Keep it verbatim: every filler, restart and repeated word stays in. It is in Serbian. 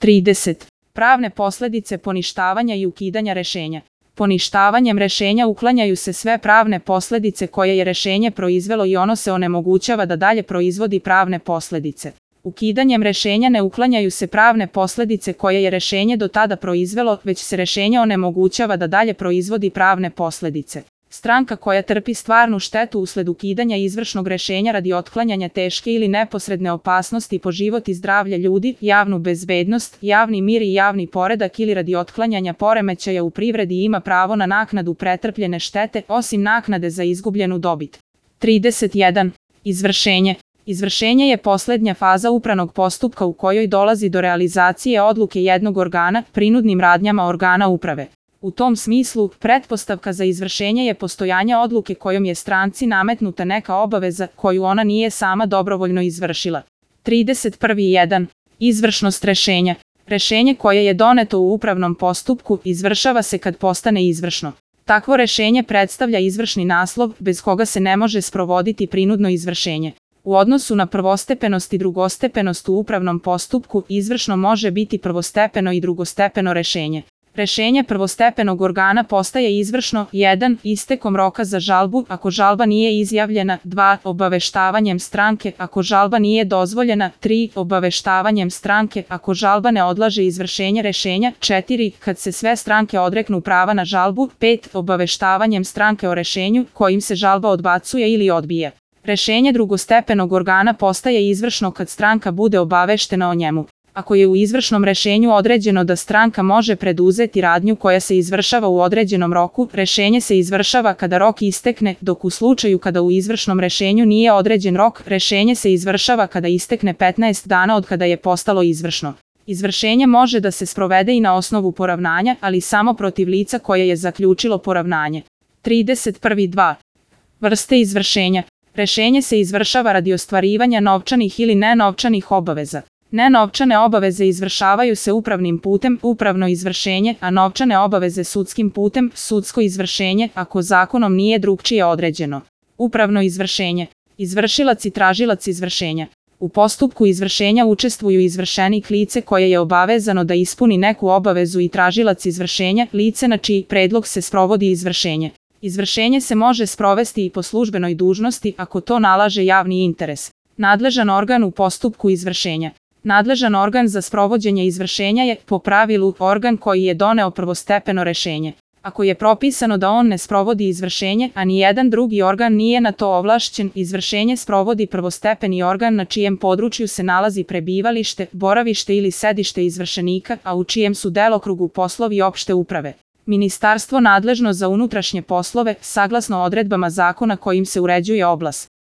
trideset. Pravne posledice poništavanja i ukidanja rešenja. Poništavanjem rešenja uklanjaju se sve pravne posledice koje je rešenje proizvelo i ono se onemogućava da dalje proizvodi pravne posledice. Ukidanjem rešenja ne uklanjaju se pravne posledice koje je rešenje do tada proizvelo, već se rešenje onemogućava da dalje proizvodi pravne posledice. Stranka koja trpi stvarnu štetu usled ukidanja izvršnog rešenja radi otklanjanja teške ili neposredne opasnosti po život i zdravlje ljudi, javnu bezbednost, javni mir i javni poredak ili radi otklanjanja poremećaja u privredi ima pravo na naknadu pretrpljene štete, osim naknade za izgubljenu dobit. trideset jedan. Izvršenje. Izvršenje je poslednja faza upravnog postupka u kojoj dolazi do realizacije odluke jednog organa prinudnim radnjama organa uprave. U tom smislu, pretpostavka za izvršenje je postojanje odluke kojom je stranci nametnuta neka obaveza koju ona nije sama dobrovoljno izvršila. trideset jedan. Izvršnost rešenja. Rešenje koje je doneto u upravnom postupku izvršava se kad postane izvršno. Takvo rešenje predstavlja izvršni naslov bez koga se ne može sprovoditi prinudno izvršenje. U odnosu na prvostepenost i drugostepenost u upravnom postupku izvršno može biti prvostepeno i drugostepeno rešenje. Rešenje prvostepenog organa postaje izvršno jedan. Istekom roka za žalbu ako žalba nije izjavljena, dva. Obaveštavanjem stranke ako žalba nije dozvoljena, tri. Obaveštavanjem stranke ako žalba ne odlaže izvršenje rešenja, četiri. Kad se sve stranke odreknu prava na žalbu, pet. Obaveštavanjem stranke o rešenju kojim se žalba odbacuje ili odbija. Rešenje drugostepenog organa postaje izvršno kad stranka bude obaveštena o njemu. Ako je u izvršnom rešenju određeno da stranka može preduzeti radnju koja se izvršava u određenom roku, rešenje se izvršava kada rok istekne, dok u slučaju kada u izvršnom rešenju nije određen rok, rešenje se izvršava kada istekne petnaest dana od kada je postalo izvršno. Izvršenje može da se sprovede i na osnovu poravnanja, ali samo protiv lica koje je zaključilo poravnanje. trideset dva. Vrste izvršenja. Rešenje se izvršava radi ostvarivanja novčanih ili nenovčanih obaveza. Nenovčane obaveze izvršavaju se upravnim putem, upravno izvršenje, a novčane obaveze sudskim putem, sudsko izvršenje, ako zakonom nije drugčije određeno. Upravno izvršenje. Izvršilac i tražilac izvršenja. U postupku izvršenja učestvuju izvršenik lice koje je obavezano da ispuni neku obavezu i tražilac izvršenja, lice na čiji predlog se sprovodi izvršenje. Izvršenje se može sprovesti i po službenoj dužnosti ako to nalaže javni interes. Nadležan organ u postupku izvršenja. Nadležan organ za sprovođenje izvršenja je, po pravilu, organ koji je doneo prvostepeno rešenje. Ako je propisano da on ne sprovodi izvršenje, a ni jedan drugi organ nije na to ovlašćen, izvršenje sprovodi prvostepeni organ na čijem području se nalazi prebivalište, boravište ili sedište izvršenika, a u čijem su delokrugu poslovi opšte uprave. Ministarstvo nadležno za unutrašnje poslove, saglasno odredbama zakona kojim se uređuje oblast.